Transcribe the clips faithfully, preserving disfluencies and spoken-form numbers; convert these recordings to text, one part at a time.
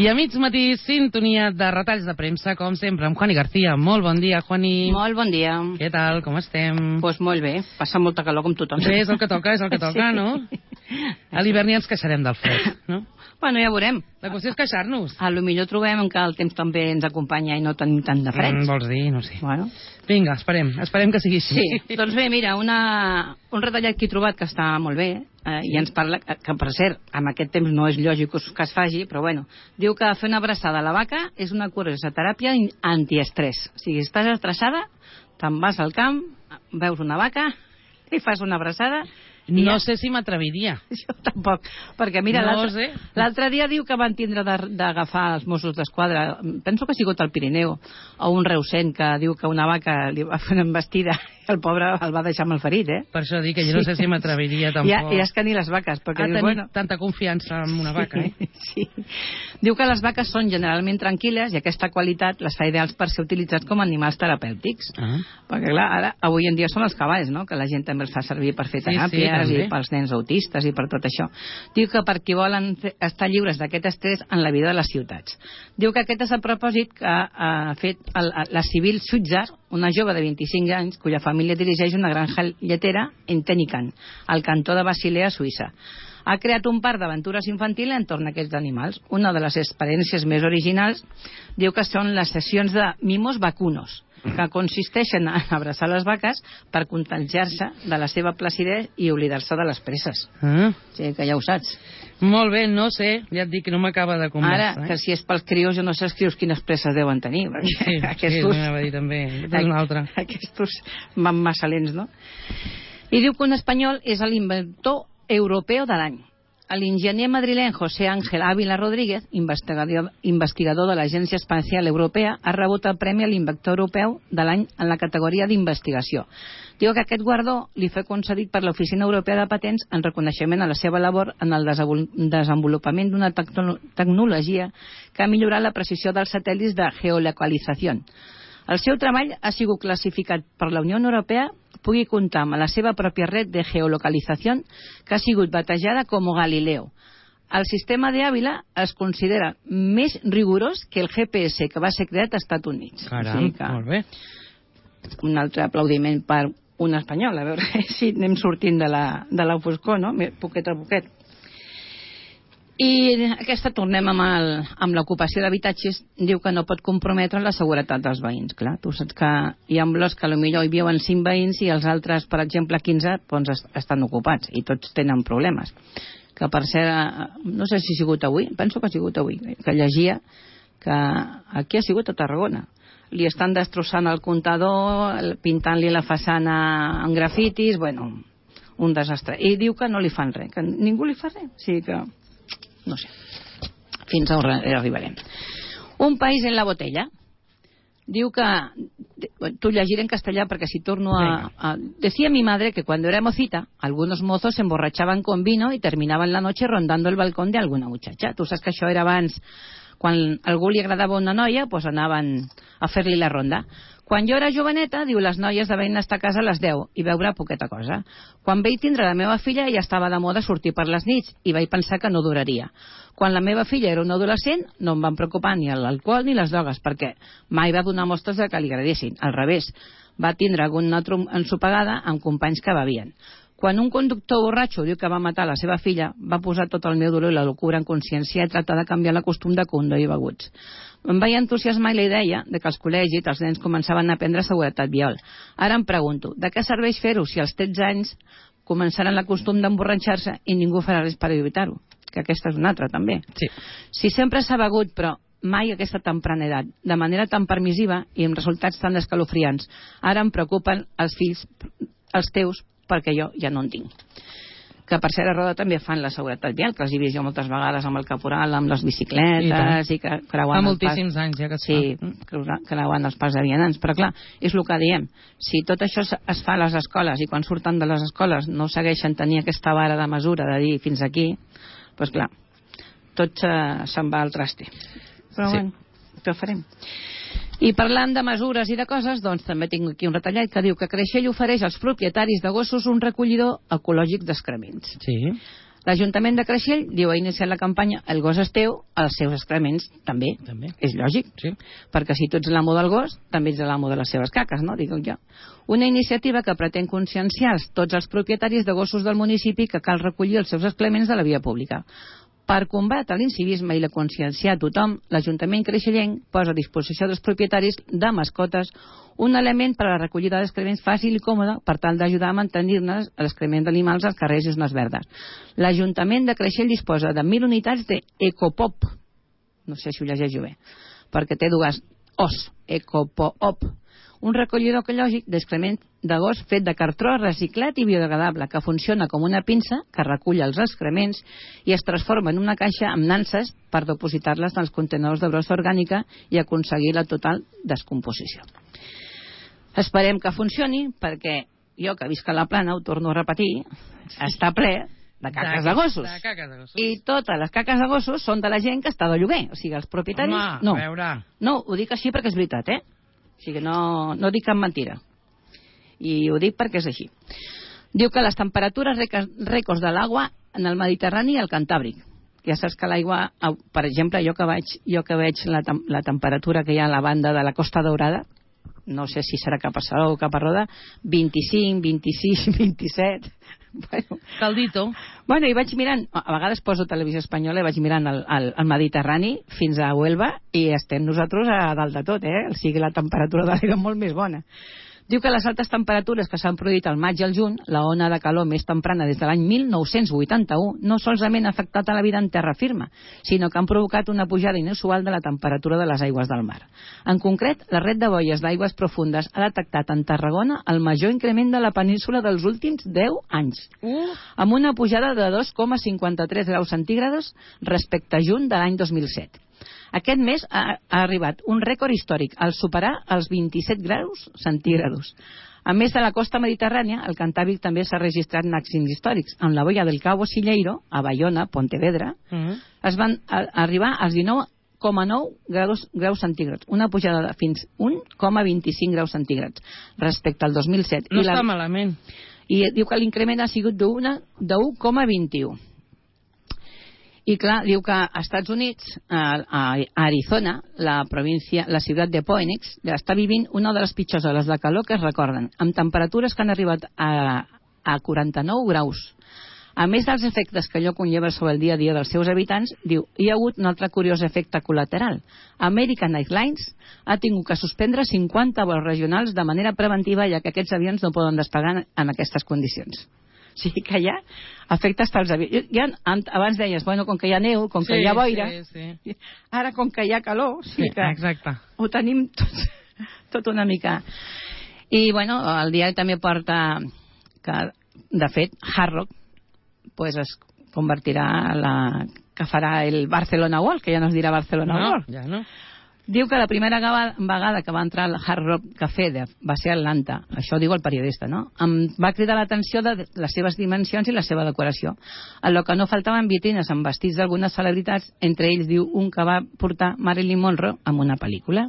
I a mig matí, sintonia de retalls de premsa, com sempre, amb Juani García. Molt bon dia, Juani. Molt bon dia. Què tal, com estem? Doncs pues molt bé, passa molta calor com tothom. Bé, és el que toca, és el que toca, sí. No? A l'hivern ja ens queixarem del fred, no? Bueno, ja veurem. La qüestió és queixar-nos. A lo millor trobem que el temps també ens acompanya i no tenim tant de fred. Mm, vols dir? No sé. Bueno. Vinga, esperem, esperem que sigui així. Sí, doncs bé, mira, una, un retallat que he trobat que està molt bé, eh, i ens parla, que per cert, amb aquest temps no és lògic que es faci, però bueno, diu que fer una abraçada a la vaca és una curiosa teràpia antiestrès. O sigui, estàs estressada, te'n vas al camp, veus una vaca, li fas una abraçada... No ja... sé si m'atreviria. Jo tampoc, perquè mira, no l'altre dia diu que van tindre d'agafar els Mossos d'Esquadra, penso que ha sigut al Pirineu, o un reusenc que diu que una vaca li va fer una embestida i el pobre el va deixar malferit, eh? Per això dic que jo no sé si m'atreviria tampoc. Ja, ja és que ni les vaques, perquè ha dius, bueno... tanta confiança en una vaca, eh? Sí. Diu que les vaques són generalment tranquil·les i aquesta qualitat les fa ideals per ser utilitzats com a animals terapèutics. Ah. Perquè, clar, ara, avui en dia són els cavalls, no?, que la gent també els fa servir per fer teràpies, sí, sí, i pels nens autistes i per tot això. Diu que per qui volen estar lliures d'aquest estrès en la vida de les ciutats. Diu que aquest és el propòsit que ha fet el, la Sibyl Switzer, una jove de vint-i-cinc anys, cuya família dirigeix una granja lletera en Tenican, al cantó de Basilea, Suïssa. Ha creat un parc d'aventures infantils entorn a aquests animals. Una de les experiències més originals diu que són les sessions de mimos vacunos, que consisteixen en abraçar les vaques per contagiar-se de la seva placidesa i oblidar-se de les presses. Ah. Sí, que ja ho saps. Molt bé, no sé, ja et dic que no m'acaba de convèncer. Ara, que si és pels crios, jo no sé els crios quines presses deuen tenir. Sí, aquestos, sí, m'anava a dir també. Aquest és un altre. Aquestos van massa lents, no? I diu que un espanyol és l'inventor europeu de l'any. L'enginyer madrileny José Ángel Ávila Rodríguez, investigador, investigador de l'Agència Espacial Europea, ha rebut el Premi a l'Inventor Europeu de l'any en la categoria d'investigació. Diu que aquest guardó li fa concedit per l'Oficina Europea de Patents en reconeixement a la seva labor en el desenvolupament d'una tecnologia que ha millorat la precisió dels satèl·lits de geolocalització. El seu treball ha sigut classificat per la Unió Europea pugui comptar amb la seva pròpia red de geolocalització que ha sigut batejada com Galileo. El sistema de Ávila es considera més rigorós que el G P S que va ser creat als Estats Units. Caram, sí que... molt bé. Un altre aplaudiment per un espanyol, a veure si anem sortint de la, de la foscor, no? Poquet a poquet. I aquesta, tornem amb, el, amb l'ocupació d'habitatges, diu que no pot comprometre la seguretat dels veïns. Clar, tu saps que hi ha blocs que potser hi viuen cinc veïns i els altres, per exemple, quinze, doncs estan ocupats i tots tenen problemes. Que per ser, no sé si ha sigut avui, penso que ha sigut avui, que llegia que aquí ha sigut a Tarragona. Li estan destrossant el comptador, pintant-li la façana en grafitis, bueno, un desastre. I diu que no li fan res, que ningú li fa res. O sigui que... no sé, fins on arribarem. Un país en la botella. Diu que, tu llegiré en castellà perquè si torno a, a... Decía mi madre que cuando era mocita, algunos mozos se emborrachaban con vino y terminaban la noche rondando el balcón de alguna muchacha. Tu saps que això era abans, quan a algú li agradava una noia, doncs anaven a fer-li la ronda. Quan jo era joveneta, diu, les noies deven estar a casa a les deu i veure poqueta cosa. Quan vaig tindre la meva filla ja estava de moda sortir per les nits i vaig pensar que no duraria. Quan la meva filla era una adolescent no em van preocupar ni l'alcohol ni les drogues perquè mai va donar mostres de que li agradessin. Al revés, va tindre alguna altra ensopegada amb companys que bevien. Quan un conductor borratxo diu que va matar la seva filla, va posar tot el meu dolor i la locura en consciència i tractar de canviar la costum de conduir beguts. Em vaig entusiasmar la idea de que als col·legis els nens començaven a aprendre seguretat vial. Ara em pregunto, de què serveix fer-ho si als tretze anys començaran la costum d'emborratxar-se i ningú farà res per evitar-ho? Que aquesta és una altra, també. Sí. Si sempre s'ha begut, però mai aquesta temprana edat, de manera tan permissiva i amb resultats tan escalofriants, ara em preocupen els fills, els teus, perquè jo ja no en tinc. Que per ser a Roda també fan la seguretat vial, que els he vist jo moltes vegades amb el caporal, amb les bicicletes, i, i que creuant fa moltíssims anys ja que es sí, fa. Creuant els pas de vianants. Però clar, és el que diem, si tot això es fa a les escoles i quan surten de les escoles no segueixen tenir aquesta vara de mesura de dir fins aquí, doncs clar, tot se'n va al traste. Però sí. Bueno, què farem? I parlant de mesures i de coses, doncs també tinc aquí un retallat que diu que Creixell ofereix als propietaris de gossos un recollidor ecològic d'excrements. Sí. L'Ajuntament de Creixell, diu, ha iniciat la campanya El gos és teu, els seus excrements també. També. És lògic, sí. Perquè si tu ets l'amo del gos, també ets l'amo de les seves caques, no? Dic jo. Una iniciativa que pretén conscienciar tots els propietaris de gossos del municipi que cal recollir els seus excrements de la via pública. Per combatre l'incivisme i la conscienciar a tothom, l'Ajuntament creixellenc posa a disposició dels propietaris de mascotes un element per a la recollida d'excrements fàcil i còmode per tal d'ajudar a mantenir-ne l'excrement d'animals als carrers i zones verdes. L'Ajuntament de Creixell disposa de mil unitats d'Ecopop, no sé si ho llegeixo bé, perquè té dues O's, Ecopop, un recollidor ecològic d'excrement de gos fet de cartró reciclat i biodegradable que funciona com una pinça que recull els excrements i es transforma en una caixa amb nanses per depositar-les en els contenedors de brossa orgànica i aconseguir la total descomposició. Esperem que funcioni perquè jo, que visc a la Plana, ho torno a repetir, està ple de caques de gossos. De caques de gossos. I totes les caques de gossos són de la gent que està de lloguer. O sigui, els propietaris... Home, no. a veure... No, ho dic així perquè és veritat, eh? O sigui, no, no dic cap mentira. I ho dic perquè és així. Diu que les temperatures rècords de l'aigua en el Mediterrani i el Cantàbric. Ja saps que l'aigua, per exemple, jo que veig, jo que veig la, la temperatura que hi ha a la banda de la Costa Daurada, no sé si serà cap a Salou o cap a Roda, vint-i-cinc, vint-i-sis, vint-i-set... Bueno, caldito. Bueno, i vaig mirant, a vegades poso televisió espanyola i vaig mirant el, el, el Mediterrani fins a Huelva i estem nosaltres a dalt de tot, eh? O sigui, la temperatura de l'aigua és molt més bona. Diu que les altes temperatures que s'han produït al maig i al juny, la ona de calor més temprana des de l'any mil nou-cents vuitanta-u, no solament ha afectat a la vida en terra firma, sinó que han provocat una pujada inusual de la temperatura de les aigües del mar. En concret, la red de boies d'aigües profundes ha detectat en Tarragona el major increment de la península dels últims deu anys, Uh. amb una pujada de dos coma cinquanta-tres graus centígrads respecte a juny de l'any dos mil set. Aquest mes ha, ha arribat un rècord històric al superar els vint-i-set graus centígrads. A més de la costa mediterrània, el Cantàbric també s'ha registrat màxims històrics. En la boia del Cabo Silleiro, a Bayona, Pontevedra, uh -huh. es van a, a arribar als dinou coma nou graus, graus centígrads, una pujada de fins un coma vint-i-cinc graus centígrads respecte al dos mil set. No I la, està malament. I diu que l'increment ha sigut d'un coma vint-i-u. I clar, diu que als Estats Units, a, a Arizona, la província, la ciutat de Phoenix, està vivint una de les pitjors hores de calor que es recorden, amb temperatures que han arribat a, a quaranta-nou graus. A més dels efectes que allò conlleva sobre el dia a dia dels seus habitants, diu, hi ha hagut un altre curiós efecte col·lateral. American Airlines ha tingut que suspendre cinquanta vols regionals de manera preventiva, ja que aquests avions no poden despegar en aquestes condicions. O sigui que ja afecta hasta els avions. Ja, abans deies, bueno, com que hi ha neu, com que sí, hi ha boira, sí, sí. Ara com que hi ha calor, o sigui sí, que exacte. Ho tenim tot, tot una mica. I bueno, el diari també porta que, de fet, Hard Rock pues es convertirà en la que farà el Barcelona World, que ja no es dirà Barcelona no, World. Ja no. Diu que la primera vegada que va entrar al Hard Rock Café de, va ser a Atlanta, això diu el periodista, no? Em va cridar l'atenció de les seves dimensions i la seva decoració. En lo que no faltaven vitrines amb vestits d'algunes celebritats, entre ells diu un que va portar Marilyn Monroe en una pel·lícula.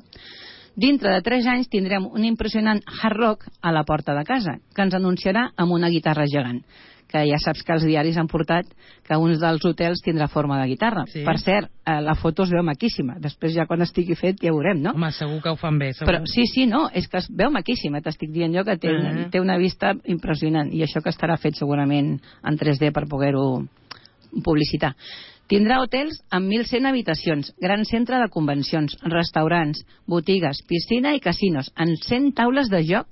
Dintre de tres anys tindrem un impressionant Hard Rock a la porta de casa, que ens anunciarà amb una guitarra gegant, que ja saps que els diaris han portat que uns dels hotels tindrà forma de guitarra. Sí. Per cert, eh, la foto es veu maquíssima. Després ja quan estigui fet ja veurem, no? Home, segur que ho fan bé. Segur. Però sí, sí, no, és que es veu maquíssima. T'estic dient jo que té, uh -huh. té una vista impressionant. I això que estarà fet segurament en tres D per poder-ho publicitar. Tindrà hotels amb mil cent habitacions, gran centre de convencions, restaurants, botigues, piscina i casinos, amb cent taules de joc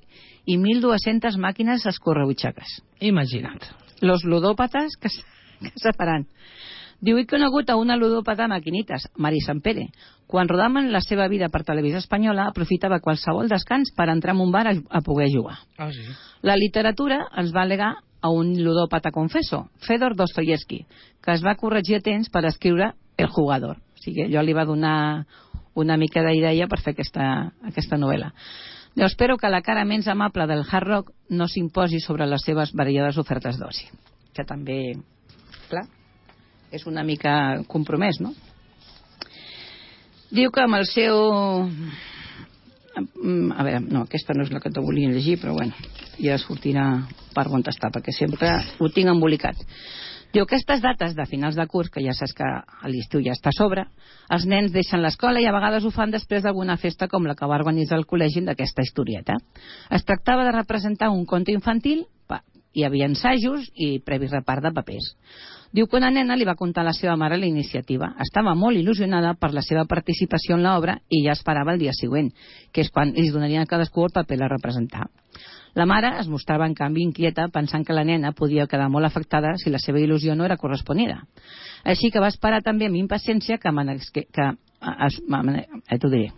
i mil dues-centes màquines escorrebutxaques. Imagina't. Los ludòpates que, que se faran. Diu, he conegut a una ludòpata maquinites, Mari Sampere. Quan rodaven la seva vida per televisió espanyola, aprofitava qualsevol descans per entrar en un bar a, a poder jugar. Ah, sí. La literatura ens va alegar a un ludòpata confesso, Fedor Dostoyevsky, que es va corregir a temps per escriure El jugador. O sigui, allò li va donar una mica d'idea per fer aquesta, aquesta novel·la. Jo espero que la cara menys amable del Hard Rock no s'imposi sobre les seves variades ofertes d'oci. Que també, clar, és una mica compromès, no? Diu que amb el seu a veure, no, aquesta no és la que te volia llegir, però bueno, ja sortirà per on està, perquè sempre ho tinc embolicat. Diu, aquestes dates de finals de curs, que ja saps que a l'estiu ja està a sobre, els nens deixen l'escola i a vegades ho fan després d'alguna festa com la que va organitzar el col·legi d'aquesta historieta. Es tractava de representar un conte infantil, hi havia ensajos i previ repart de papers. Diu que una nena li va contar a la seva mare la iniciativa. Estava molt il·lusionada per la seva participació en l'obra i ja esperava el dia següent, que és quan ells donarien a cadascú el paper a representar. La mare es mostrava, en canvi, inquieta, pensant que la nena podia quedar molt afectada si la seva il·lusió no era corresponida. Així que va esperar també amb impaciència que, que, que eh, t'ho diré,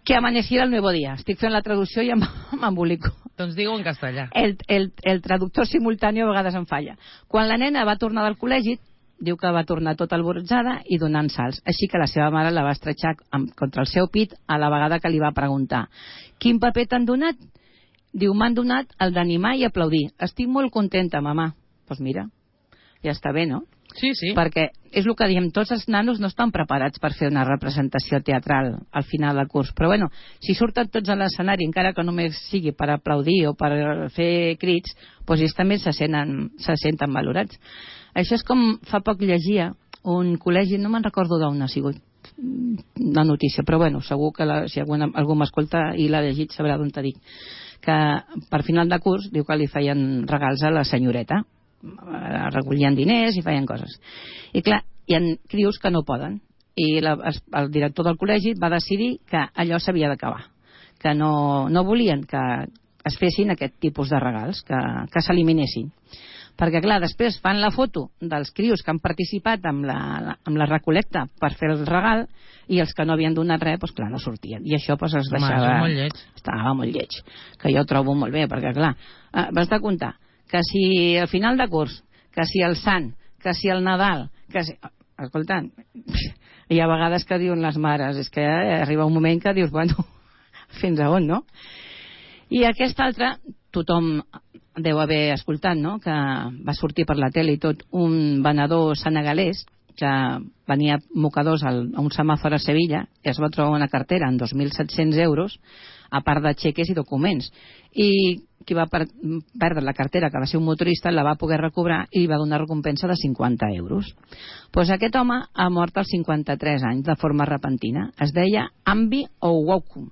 que amaneciera el nuevo día. Estic fent la traducció i m'embolico. Doncs digue-ho en castellà. El, el, el traductor simultani a vegades em falla. Quan la nena va tornar del col·legi, diu que va tornar tota alborotzada i donant salts. Així que la seva mare la va estretxar contra el seu pit a la vegada que li va preguntar: quin paper t'han donat? Diu, m'han donat el d'animar i aplaudir. Estic molt contenta, mamà. Doncs pues mira, ja està bé, no? Sí, sí. Perquè és el que diem, tots els nanos no estan preparats per fer una representació teatral al final del curs. Però bueno, si surten tots a l'escenari, encara que només sigui per aplaudir o per fer crits, doncs ells també se senten, se senten valorats. Això és com fa poc llegia un col·legi, no me'n recordo d'on ha sigut la notícia, però bueno, segur que la, si algú, algú m'escolta i l'ha llegit sabrà d'on t'ha dit, que per final de curs diu que li feien regals a la senyoreta, recollien diners i feien coses. I clar, hi ha crios que no poden. I la, el director del col·legi va decidir que allò s'havia d'acabar. Que no, no volien que es fessin aquest tipus de regals, que, que s'eliminessin. Perquè clar, després fan la foto dels crios que han participat amb la, amb la recol·lecta per fer el regal i els que no havien donat res, doncs clar, no sortien. I això doncs es deixava... Home, molt lleig. Estava molt lleig. Que jo trobo molt bé, perquè clar, vas de comptar que si al final de curs, que si el Sant, que si el Nadal, que si... Escolta, hi ha vegades que diuen les mares, és que arriba un moment que dius, bueno, fins a on, no? I aquest altre, tothom deu haver escoltat, no?, que va sortir per la tele i tot, un venedor senegalès que venia mocadors a un semàfor a Sevilla, i es va trobar una cartera en dos mil set-cents euros, a part de xeques i documents. I qui va per perdre la cartera, que va ser un motorista, la va poder recobrar i li va donar recompensa de cinquanta euros. Pues aquest home ha mort als cinquanta-tres anys, de forma repentina. Es deia Ambi Owuku.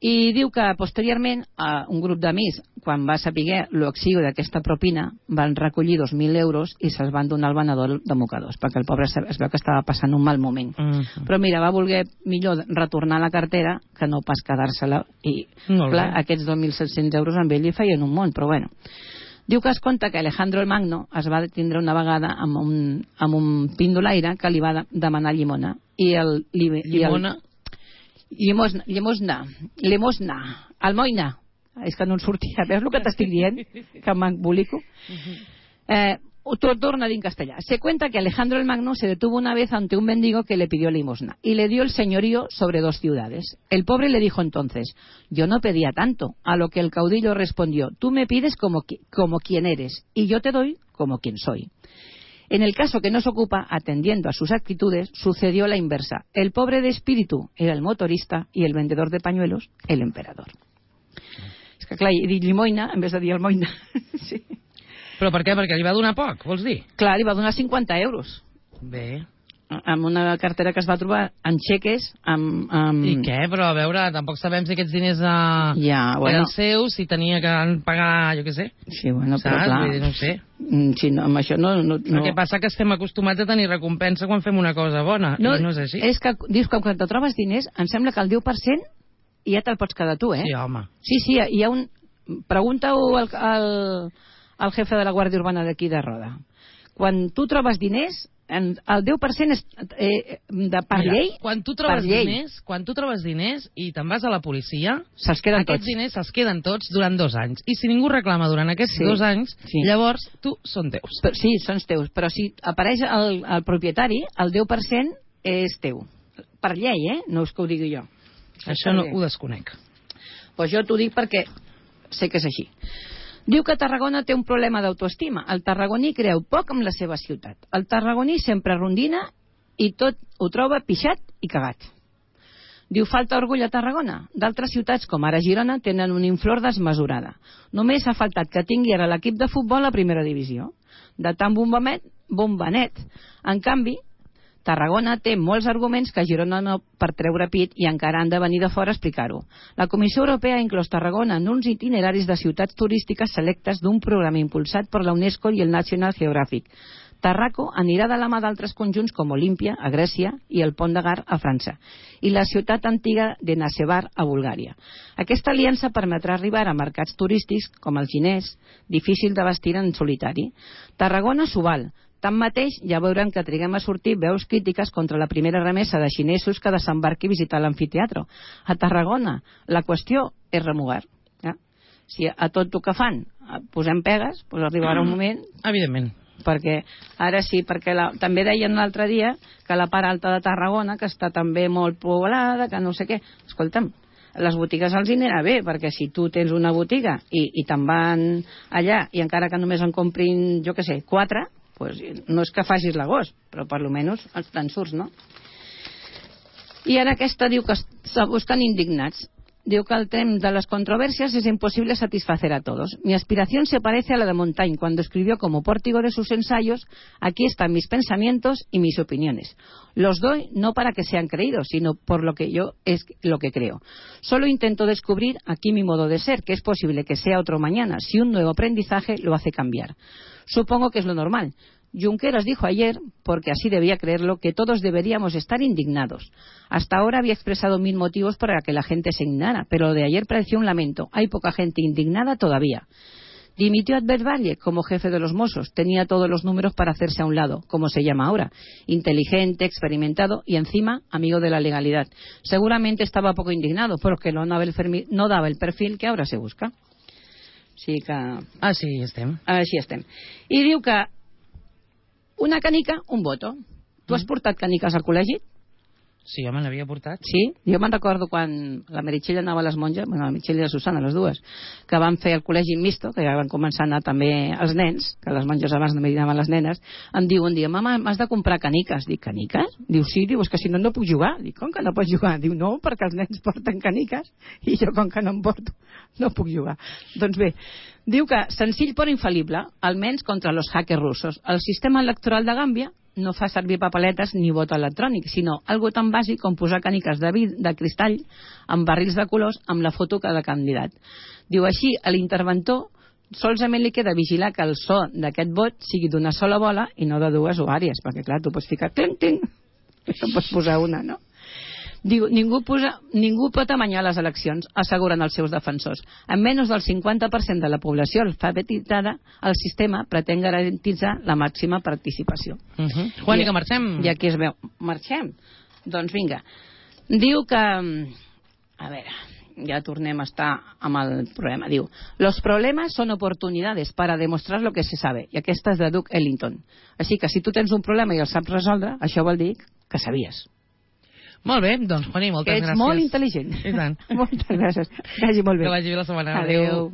I diu que posteriorment un grup d'amics, quan va saber l'oxiu d'aquesta propina, van recollir dos mil euros i se'ls van donar al venedor de mocadors, perquè el pobre es veu que estava passant un mal moment. Uh-huh. Però mira, va voler millor retornar la cartera que no pas quedar-se-la. I clar, aquests dos mil set-cents euros amb ell li feien un món, però bueno. Diu que es conta que Alejandro el Magno es va detindre una vegada amb un, amb un pindolaire que li va demanar llimona. I el, li, llimona? I el, Llimosna, llimosna, limosna, almoina. És que no en sortia. Veus el que t'estic dient? Que m'embolico. Eh, torna a dir en castellà. Se cuenta que Alejandro el Magno se detuvo una vez ante un mendigo que le pidió limosna y le dio el señorío sobre dos ciudades. El pobre le dijo entonces: yo no pedía tanto. A lo que el caudillo respondió: tú me pides como, como quien eres y yo te doy como quien soy. En el caso que nos ocupa, atendiendo a sus actitudes, sucedió la inversa. El pobre de espíritu era el motorista y el vendedor de pañuelos, el emperador. És que clar, he dit llimoina en vez de dir almoina. Sí. Però per què? Perquè li va donar poc, vols dir? Clar, li va donar cinquanta euros. Bé. Amb una cartera que es va trobar en xeques, amb... amb... I què? Però a veure, tampoc sabem si aquests diners uh, ja, bueno. eren seus, si tenia que pagar, jo què sé. Sí, bueno, saps? però clar... Vull dir, no ho sé. Sí, no, amb això no... no, no... El que passa que estem acostumats a tenir recompensa quan fem una cosa bona, no, i no és així. És que, dius que quan te trobes diners, em sembla que el deu per cent ja te'l pots quedar tu, eh? Sí, home. Sí, sí, hi ha un... Pregunta-ho al, al, al jefe de la Guàrdia Urbana d'aquí de Roda. Quan tu trobes diners, en, el deu per cent és eh, de per Mira, llei, quan tu trobes diners, quan tu trobes diners i te'n vas a la policia, se'ls queden aquests tots. diners se'ls queden tots durant dos anys. I si ningú reclama durant aquests sí. dos anys, sí. llavors tu són teus. Però, sí, són teus, però si apareix el, el propietari, el deu per cent és teu. Per llei, eh? No és que ho digui jo. Això no ho desconec. Pues jo t'ho dic perquè sé que és així. Diu que Tarragona té un problema d'autoestima. El tarragoní creu poc amb la seva ciutat. El tarragoní sempre rondina i tot ho troba pixat i cagat. Diu, falta orgull a Tarragona. D'altres ciutats, com ara Girona, tenen una inflor desmesurada. Només ha faltat que tingui ara l'equip de futbol a primera divisió. De tant bombamet, bombanet. En canvi, Tarragona té molts arguments que Girona no per treure pit i encara han de venir de fora a explicar-ho. La Comissió Europea ha inclòs Tarragona en uns itineraris de ciutats turístiques selectes d'un programa impulsat per la UNESCO i el National Geographic. Tarraco anirà de la mà d'altres conjunts com Olímpia, a Grècia, i el Pont de Gard, a França, i la ciutat antiga de Nasevar, a Bulgària. Aquesta aliança permetrà arribar a mercats turístics, com el xinès, difícil de vestir en solitari. Tarragona s'ho val. Tanmateix, ja veurem que triguem a sortir veus crítiques contra la primera remesa de xinesos que desembarqui a visitar l'amfiteatre. A Tarragona, la qüestió és remugar. Ja? Si a tot el que fan posem pegues, doncs arribarà un moment... Evidentment. Perquè ara sí, perquè la, també deien l'altre dia que la part alta de Tarragona, que està també molt poblada, que no sé què. Escolta'm, les botigues els hi anirà bé, perquè si tu tens una botiga i, i te'n van allà i encara que només en comprin, jo què sé, quatre, pues no és que facis l'agost, però per almenys te'n surts, no? I ara aquesta diu que estan indignats. Diu que el tema de las controversias es imposible satisfacer a todos. Mi aspiración se parece a la de Montaigne cuando escribió como pórtico de sus ensayos: aquí están mis pensamientos y mis opiniones. Los doy no para que sean creídos, sino por lo que yo es lo que creo. Solo intento descubrir aquí mi modo de ser, que es posible que sea otro mañana, si un nuevo aprendizaje lo hace cambiar. Supongo que es lo normal. Junqueras dijo ayer, porque así debía creerlo, que todos deberíamos estar indignados. Hasta ahora había expresado mil motivos para que la gente se indignara, pero lo de ayer pareció un lamento. Hay poca gente indignada todavía. Dimitió Albert Valle como jefe de los Mossos. Tenía todos los números para hacerse a un lado, como se llama ahora. Inteligente, experimentado y encima amigo de la legalidad. Seguramente estaba poco indignado porque no daba el perfil, no daba el perfil que ahora se busca. Sí que... Així estem. Així estem. I diu que una canica, un voto. Tu has portat caniques al col·legi? Sí, home, l'havia portat. Sí? Jo me'n recordo quan la Meritxell anava a les monges, bueno, la Meritxell i la Susana, les dues, que van fer el col·legi misto, que ja van començar a anar també els nens, que les monges abans només anaven les nenes, em diu un dia, mama, m'has de comprar caniques. Dic, caniques? Diu, sí, diu, és que si no, no puc jugar. Dic, com que no pots jugar? Diu, no, perquè els nens porten caniques i jo, com que no em porto, no puc jugar. Doncs bé, diu que senzill però infal·lible, almenys contra els hackers russos. El sistema electoral de Gàmbia no fa servir papeletes ni vot electrònic, sinó algo tan bàsic com posar caniques de, vid de cristall amb barrils de colors amb la foto de cada candidat. Diu així, a l'interventor solament li queda vigilar que el so d'aquest vot sigui d'una sola bola i no de dues o àrees, perquè clar, tu pots ficar clink, clink, i no pots posar una, no? Diu, ningú, posa, ningú pot amanyar les eleccions, asseguren els seus defensors. Amb menys del cinquanta per cent de la població alfabetitzada, el sistema pretén garantitzar la màxima participació. Uh -huh. Juan, i que marxem. I aquí es veu. Marxem? Doncs vinga. Diu que... A veure, ja tornem a estar amb el problema. Diu, los problemas son oportunidades para demostrar lo que se sabe. I aquesta és de Duke Ellington. Així que si tu tens un problema i el saps resoldre, això vol dir que sabies. Molt bé, doncs, Juani, moltes gràcies. gràcies. Ets molt intel·ligent. I tant. Moltes gràcies. Que vagi molt bé. Que vagi bé la setmana. Adéu. Adéu.